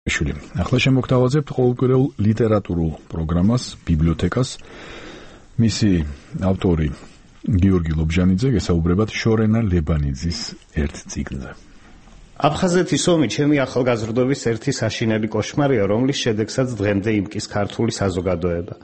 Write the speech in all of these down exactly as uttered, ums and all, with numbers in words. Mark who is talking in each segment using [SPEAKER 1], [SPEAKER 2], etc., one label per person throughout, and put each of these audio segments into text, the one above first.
[SPEAKER 1] ახლა შემოგთავაზებთ ყოველკვირეულ ლიტერატურულ პროგრამას ბიბლიოთეკას. მისი ავტორი გიორგი ლობჟანიძე, გესაუბრებათ შორენა ლებანიძის ერთ წიგნზე.
[SPEAKER 2] აფხაზეთის ომი ჩემი ახალგაზრდობის ერთი საშინელი კოშმარია, რომლის შედეგსაც დღემდე იმკის ქართული საზოგადოება.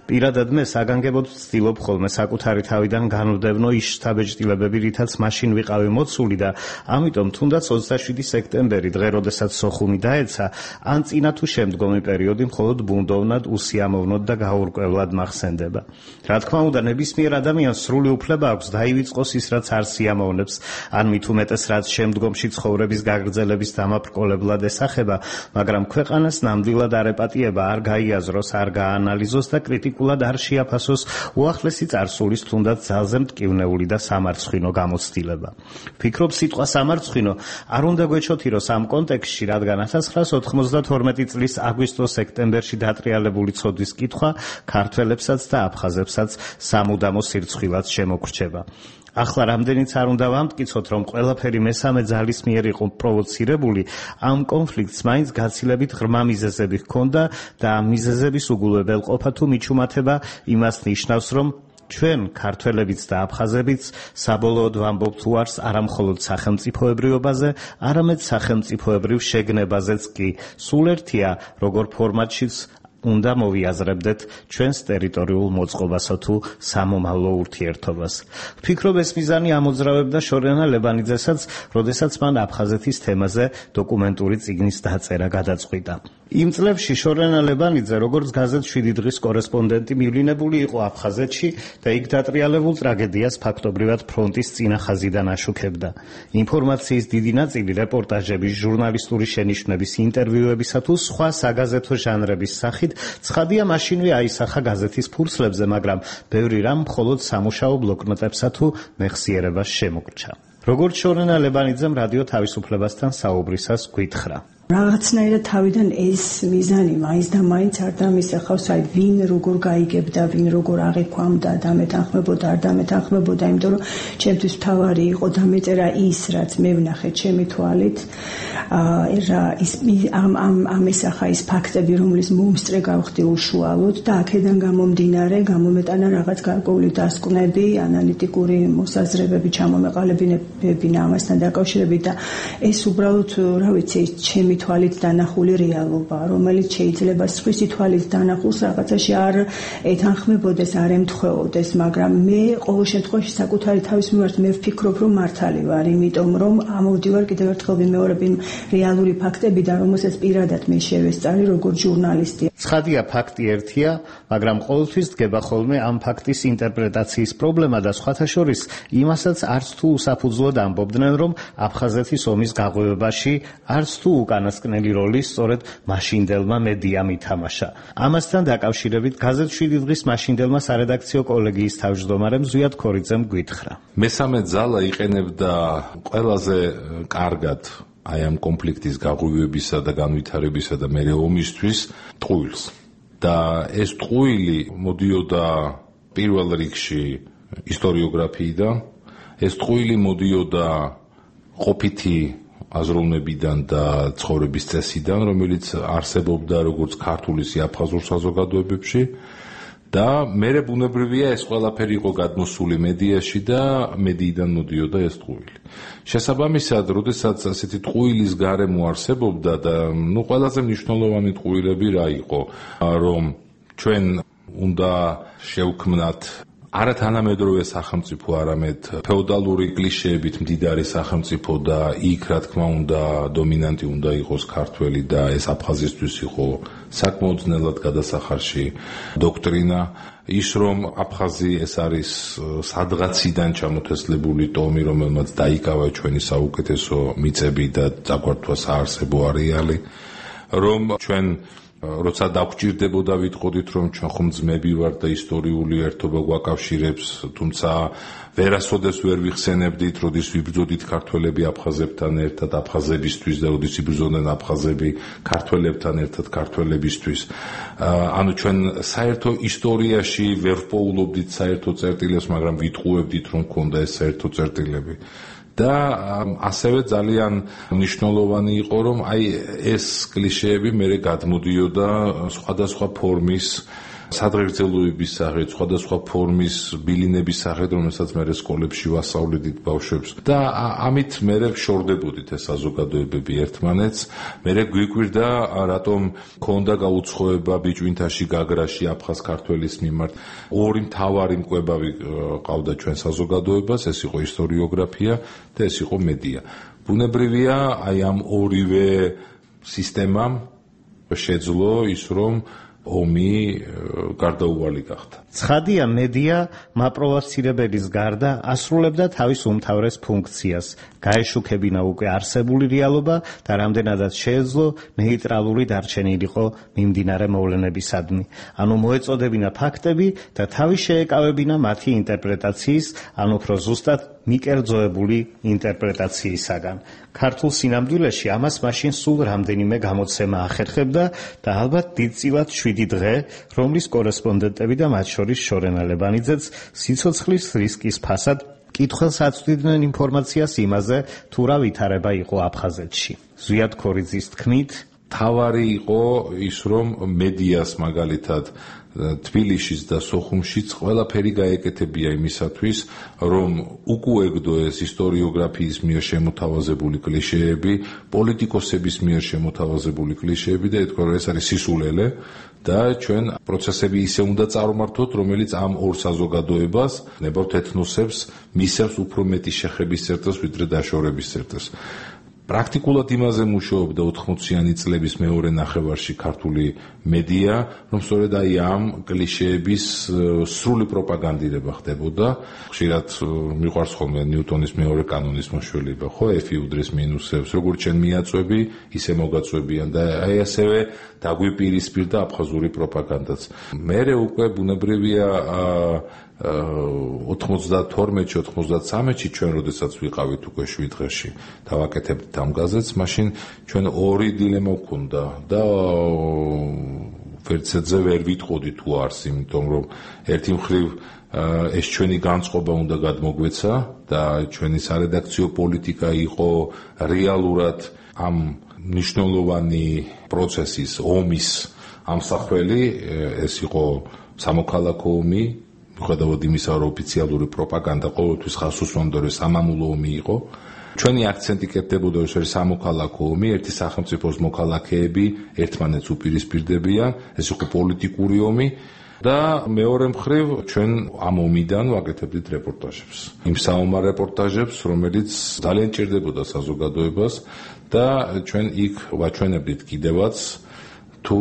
[SPEAKER 2] პირადად მე საგანგებოდ ვცდილობ ხოლმე საკუთარი თავიდან განვდევნო ის შთაბეჭდილებები, რითაც მაშინ ვიყავი მოცული და ამიტომ თუნდაც ოცდაშვიდი სექტემბერი, დღე როდესაც სოხუმი დაეცა, ან წინა თუ შემდგომი პერიოდი მხოლოდ ბუნდოვნად, უსიამოვნოდ და გაურკვევლად მახსენდება. რა თქმა უნდა, ნებისმიერ ადამიანს სრული უფლება აქვს დაივიწყოს ის, რაც არ სიამოვნებს, ან მით უმეტეს რაც შემდგომში ცხოვრების გაგრძელების დამაბრკოლებლად ესახება, მაგრამ ქვეყანას ნამდვილად არ ეპატიება, არ გაიაზროს, არ გაანალიზოს და კრიტიკულად არ შეაფასოს უახლესი წარსულის თუნდაც ძალზე მტკივნეული და სამარცხვინო გამოცდილება. ვფიქრობ, სიტყვა სამარცხვინო არ უნდა გვეჩოთიროს ამ კონტექსტში, რადგან ათას ცხრაასა ოთხმოცდათორმეტი წლის აგვისტო-სექტემბერში დატრიალებული ცოდვის კითხვა ქართველებსაც და აფხაზებსაც სამუდამო სირცხვილად შემოგრჩება. ახლა რამდენიც არ უნდა ვამტკიცოთ, რომ ყველაფერი მესამე ძალის მიერ იყო პროვოცირებული, ამ კონფლიქტს მაინც გაცილებით ღრმა მიზეზები ჰქონდა და ამ მიზეზების უგულებელყოფა თუ მიჩუმათება იმას ნიშნავს, რომ ჩვენ ქართველებიც და აფხაზებიც საბოლოოდ ვამბობთ უარს არამხოლოდ სახელმწიფოებრიობაზე, არამედ სახელმწიფოებრივ შეგნებაზეც კი. სულ ერთია, როგორ ფორმატშიც უნდა მოვიაზრებდეთ ჩვენს ტერიტორიულ მოწყობასა თუ სამომავლო ურთიერთობას. ვფიქრობ, ეს მიზანი ამოძრავებდა შორენა ლებანიძესაც, როდესაც მან აფხაზეთის თემაზე დოკუმენტური წიგნის დაწერა გადაწყვიტა. იმ წლებში შორენა ლებანიძე, როგორც გაზეთ შვიდი დღის კორესპონდენტი, მივლინებული იყო აფხაზეთში და იქ დატრიალებულ ტრაგედიას ფაქტობრივად ფრონტის წინა ხაზიდან აშუქებდა. ინფორმაციის დიდი ნაწილი რეპორტაჟების, ჟურნალისტური შენიშვნების, ინტერვიუებისა თუ სხვა საგაზეთო ჟანრების სახით ცხადია მაშინვე აისახა გაზეთის ფურცლებზე, მაგრამ ბევრი რამ მხოლოდ სამუშაო ბლოკნოტებსა თუ მეხსიერებას შემოგრჩა. როგორც შორენა ლებანიძემ რადიო თავისუფლებასთან საუბრისას გვითხრა.
[SPEAKER 3] რაღაცნაირად თავიდან ეს მიზანი მაინც და მაინც არ დამისახავს, აი ვინ როგორ გაიგებდა, ვინ როგორ აღიქვამდა, დამეთანხმებოდა, არ დამეთანხმებოდა, იმიტომ რომ ჩემთვის მთავარი იყო დამეწერა ის, რაც მე ვნახე ჩემი თვალით, აა ის ამ ამ ამ ესახა ის ფაქტები, რომლის მომსწრე გავხდი უშუალოდ და აქედან გამომდინარე, გამომეტანა რაღაც გარკვეული დასკვნები, ანალიტიკური მოსაზრებები, ჩამომეყალიბებები ამასთან დაკავშირებით და ეს უბრალოდ, რა ვიცი, ჩემი თვალით დანახული რეალობა, რომელიც შეიძლება სხვისი თვალით დანახულს რაღაცაში არ ეთანხმებოდეს, არ ემთხვეოდეს, მაგრამ მე ყოველ შემთხვევაში საკუთარი თავის მიმართ მე ვფიქრობ, რომ მართალი ვარ, იმიტომ რომ ამოვდივარ კიდევ ერთხელ ვიმეორებ იმ რეალური ფაქტებიდან, რომელსაც პირადად მე შევესწარი როგორც ჟურნალისტი.
[SPEAKER 2] ცხადია, ფაქტი ერთია, მაგრამ ყოველთვის დგება ხოლმე ამ ფაქტის ინტერპრეტაციის პრობლემა და სხვათა შორის იმასაც არც თუ უსაფუძვლოდ ამბობდნენ, რომ აფხაზეთის ომის გაღვივებაში არც თუ უკანასკნელი როლი სწორედ მაშინდელმა მედიამ ითამაშა. ამასთან დაკავშირებით გაზეთ შვიდი დღის მაშინდელმა სარედაქციო კოლეგიის თავმჯდომარემ ზვიად ქორიძემ გვითხრა.
[SPEAKER 4] მესამე ძალა იყენებდა ყველაზე კარგად აი ამ კონფლიქტის გაღვივებისა და განვითარებისა და მერე ომისთვის ტყუილს. და ეს ტყუილი მოდიოდა პირველ რიგში ისტორიოგრაფიიდან, ეს ტყუილი მოდიოდა ყოფითი აზროვნებიდან და ცხოვრების წესიდან, რომელიც არსებობდა როგორც ქართულ ისე აფხაზურ საზოგადოებებში და მერე ბუნებრივია ეს ყველაფერი იყო გადმოსული მედიაში და მედიიდან მოდიოდა ეს ტყუილი. შესაბამისად, როდესაც ასეთი ტყუილის გარემო არსებობდა და ნუ ყველაზე მნიშვნელოვანი ტყუილები რა იყო, რომ ჩვენ უნდა შევქმნათ არა თანამედროვე სახელმწიფო, არამედ ფეოდალური კლიშეებით მდიდარი სახელმწიფო და იქ რა თქმა უნდა დომინანტი უნდა იყოს ქართველი და ეს აფხაზისთვის იყო საკმაოდ ძნელად გადასახარში დოქტრინა, ის რომ აფხაზი ეს არის სადღაციდან ჩამოთესლებული ტომი, რომელმაც დაიკავა ჩვენი საუკეთესო მიწები და წაგვართვა საარსებო არეალი, რომ ჩვენ როცა დაგვჭირდებოდა ვიტყოდით, რომ ჩვენ ხომ ძმები ვართ და ისტორიული ერთობა გვაკავშირებს, თუმცა ვერასოდეს ვერ ვიხსენებდით, როდის ვიბრძოდით ქართველები აფხაზებთან ერთად აფხაზებისთვის და როდის იბრძოდნენ აფხაზები ქართველებთან ერთად ქართველებისთვის. ანუ ჩვენ საერთო ისტორიაში ვერ ვპოულობდით საერთო წერტილებს, მაგრამ ვიტყუებდით, რომ ქონდა ეს საერთო წერტილები. და ასევე ძალიან მნიშვნელოვანი იყო, რომ აი ეს კლიშეები მერე გადმოდიოდა სხვადასხვა ფორმის სადღეგრძელოების სახით, სხვადასხვა ფორმის ბილინების სახით, რომელსაც მე სკოლებში ვასწავლედით ბავშვებს. და ამით მე შორდებოდით ეს საზოგადოებები ერთმანეთს. მე გვიკვირდა, რატომ ქონდა გაუცხოება ბიჭვინთაში, გაგრაში, აფხაზ ქართველის მიმართ. ორი მთავარი მკვებავი ყავდა ჩვენ საზოგადოებას, ეს იყო ისტორიოგრაფია და ეს იყო მედია. ბუნებრივია, აი ამ ორივე სისტემამ შეძლო ის, რომ ომი გარდაუვალი გახდა.
[SPEAKER 2] ცხადია, მედია მაპროვოცირებელის გარდა ასრულებდა თავის უმთავრეს ფუნქციას, გაეშუქებინა უკვე არსებული რეალობა და რამდენადაც შეეძლო ნეიტრალური დარჩენილიყო მიმდინარე მოვლენებისადმი. ანუ მოეწოდებინა ფაქტები და თავი შეეკავებინა მათი ინტერპრეტაციის, ან უფრო ზუსტად მიკერძოებული ინტერპრეტაციისაგან. ქართულ სინამდვილეში ამას მაშინ სულ რამდენიმე გამოცემა ახერხებდა და ალბათ დიდწილად შვიდი დღე, რომლის კორესპონდენტები და მათ შორის შორენა ლებანიძეც სიცოცხლის რისკის ფასად კითხველს აწვდიდნენ ინფორმაციას იმაზე, თუ რა ვითარება იყო აფხაზეთში. ზვიად ქორიძის თქმით,
[SPEAKER 4] თავარი იყო ის, რომ მედიას მაგალითად თბილისშიც და სოხუმშიც ყველაფერი გაეკეთებია იმისათვის, რომ უკუეგდო ეს ისტორიოგრაფიის მიერ შემოთავაზებული კლიშეები, პოლიტიკოსების მიერ შემოთავაზებული კლიშეები და ეთქვა, რომ ეს არის სისულელე და ჩვენ პროცესები ისე უნდა წარმართოთ, რომელიც ამ ორ საზოგადოებას, ნებავთ ეთნოსებს, მისცემს უფრო მეტი შეხების წერტილს, ვიდრე დაშორების წერტილს. პრაქტიკულად იმაზე მუშაობდა ოთხმოციანი წლების მეორე ნახევარში ქართული მედია, რომ სწორედ აი ამ კლიშეების სრული პროპაგანდირება ხდებოდა. ხშირად მიყვარს ხოლმე ნიუტონის მეორე კანონის მოშველება, ხო, F-ი უდრის მინუსებს, როგორც ჩვენ მიაწვევი, ისე მოგაწვევიან და აი ასევე დაგვიპირისპირდა აფხაზური პროპაგანდაც. მერე უკვე ბუნებრივია ოთხმოცდათორმეტში ოთხმოცდათსამეტში ჩვენ როდესაც ვიყავით უკვე შვიდ დღეში და ვაკეთებდით ამ გაზეთს, მაშინ ჩვენ ორი დილემა გვქონდა და ვერცერთზე ვერ ვიტყოდი თუ არს, იმიტომ რომ ერთი მხრივ ეს ჩვენი განწყობა უნდა გადმოგვეცა და ჩვენი სარედაქციო პოლიტიკა იყო რეალურად ამ მნიშვნელოვანი პროცესის, ომის ამსახველი, ეს იყო სამოქალაქო ომი, მიუხედავად იმისა, რომ ოფიციალური პროპაგანდა ყოველთვის ხაზს უსვამდა, რომ სამამულო ომი იყო. ჩვენი აქცენტი კეთდებოდა, რომ ეს სამოქალაქო ომი, ერთი სახელმწიფოს მოქალაქეები ერთმანეთს უპირისპირდებიან, ეს იყო პოლიტიკური ომი და მეორე მხრივ ჩვენ ამ ომიდან ვაკეთებდით რეპორტაჟებს. იმ საომარ რეპორტაჟებს, რომელიც ძალიან ჭირდებოდა საზოგადოებას და ჩვენ იქ ვაჩვენებდით კიდევაც თუ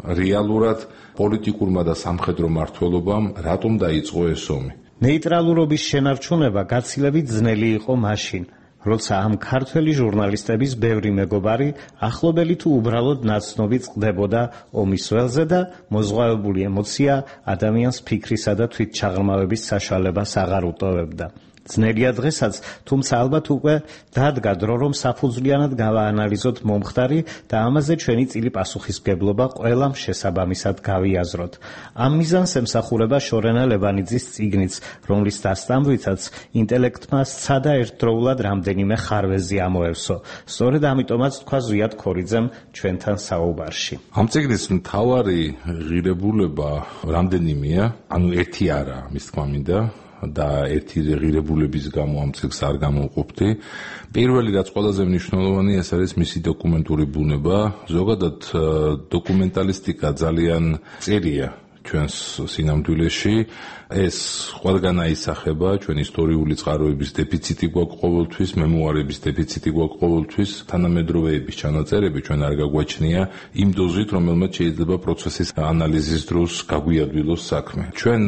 [SPEAKER 4] რეალურად პოლიტიკურმა და სამხედრო მმართველობამ რატომ დაიწყო ეს ომი.
[SPEAKER 2] ნეიტრალურობის შენარჩუნება გაცილებით ძნელი იყო მაშინ, როცა ამ ქართველი ჟურნალისტების ბევრი მეგობარი ახლობელი თუ უბრალოდ ნაცნობი წყდებოდა ომის ველზე და მოზღვავებული ემოცია ადამიანს ფიქრისა და თვითჩაღრმავების საშუალებას აღარ უტოვებდა. ძნელია დღესაც, თუმცა ალბათ უკვე დადგა დრო, რომ საფუძვლიანად გავაანალიზოთ მომხდარი და ამაზე ჩვენი წილი პასუხისმგებლობა ყველამ შესაბამისად გავიაზროთ. ამ მიზანს ემსახურება შორენა ლებანიძის წიგნიც, რომლის დასტამრვითაც ინტელექტმა სცადა ერთდროულად რამდენიმე ხარვეზი ამოევსო. სწორედ ამიტომაც თქვა ზვიად ქორიძემ ჩვენთან საუბარში.
[SPEAKER 4] ამ წიგნის მთავარი ღირებულება რამდენიმეა, ანუ ერთი არა, მის თქმა მინდა. და ერთი ღირებულების გამო ამ წიგნს არ გამოვყოფდი. პირველი, რაც ყველაზე მნიშვნელოვანია, ეს არის მისი დოკუმენტური ბუნება. ზოგადად დოკუმენტალისტიკა ძალიან წერია ჩვენს სინამდვილეში. ეს ყველგან აისახება, ჩვენ ისტორიული წყაროების დეფიციტი გვაქვს ყოველთვის, მემუარების დეფიციტი გვაქვს ყოველთვის, თანამედროვეების ჩანაწერები ჩვენ არ გაგვაჩნია იმ დოზით, რომელმაც შეიძლება პროცესის ანალიზის დროს გაგვიადვილოს საქმე. ჩვენ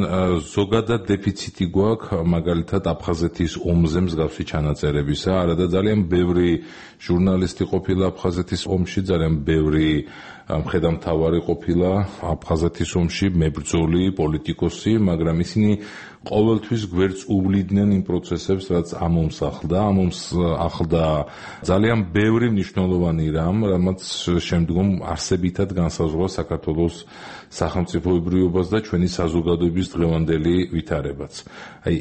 [SPEAKER 4] ზოგადად დეფიციტი გვაქვს მაგალითად აფხაზეთის ომზე მსგავსი ჩანაწერებისა, არადა ძალიან ბევრი ჟურნალისტი ყოფილა აფხაზეთის ომში, ძალიან ბევრი მხედამთავარი ყოფილა აფხაზეთის ომში, მებრძოლი, პოლიტიკოსი, მაგრამ ისინი ყოველთვის გვერდს უვლიდნენ იმ პროცესებს, რაც ამ ომს ახლდა. ამ ომს ახლდა ძალიან ბევრი მნიშვნელოვანი რამ, რამაც შემდგომ არსებითად განსაზღვრა საქართველოს სახელმწიფოებრიობას და ჩვენი საზოგადოების დღევანდელი ვითარებაც. აი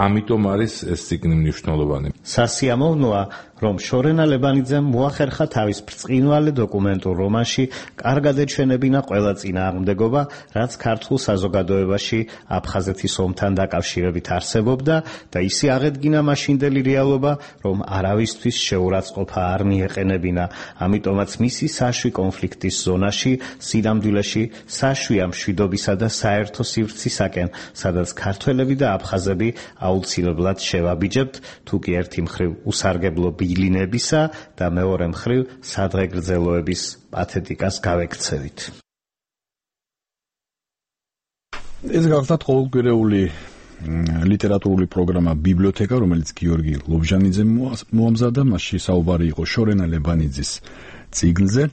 [SPEAKER 4] ამიტომ არის ეს ციგნი მნიშვნელოვანი.
[SPEAKER 2] სასიამოვნოა, რომ შორენა ლებანიძემ მოახერხა თავის ბრწყინვალე დოკუმენტურ რომანში კარგად ეჩვენებინა ყველა წინააღმდეგობა, რაც ქართულ საზოგადოებაში აფხაზეთის ომთან დაკავშირებით არსებობდა და ისე აღედგინა მაშინდელი რეალობა, რომ არავისთვის შეურაცხყოფა არ მიეყენებინა. ამიტომაც მისი საშვი კონფლიქტის ზონაში, სინამდვილეში საშვია მშვიდობისა და საერთო სივრცისაკენ, სადაც ქართველები და აფხაზები აუცილებლად შევაბიჯებთ, თუ კი ერთი მხრივ უსარგებლო ბილინებისა და მეორე მხრივ სადღეგრძელოების პათეტიკას გავექცევით.
[SPEAKER 1] ეს გახლავთ ყოველკვირეული ლიტერატურული პროგრამა ბიბლიოთეკა, რომელიც გიორგი ლობჟანიძემ მოამზადა, მასში საუბარი იყო შორენა ლებანიძის წიგნზე.